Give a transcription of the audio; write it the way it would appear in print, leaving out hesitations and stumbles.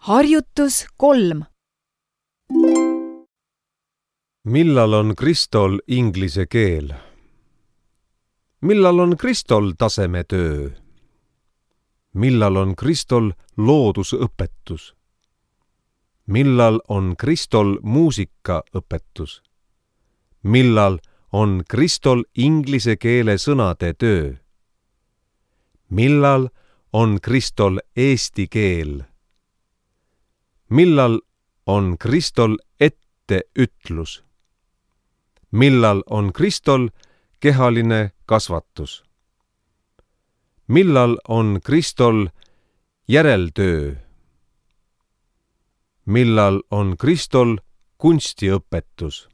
Harjutus 3. Millal on Kristol inglise keel? Millal on Kristol tasemetöö? Millal on Kristol loodusõpetus? Millal on Kristol muusikaõpetus? Millal on Kristol inglise keele sõnade töö? Millal on Kristol eesti keel? Millal on Kristol etteütlus? Millal on Kristol kehaline kasvatus? Millal on Kristol järeltöö? Millal on Kristol kunstiõpetus?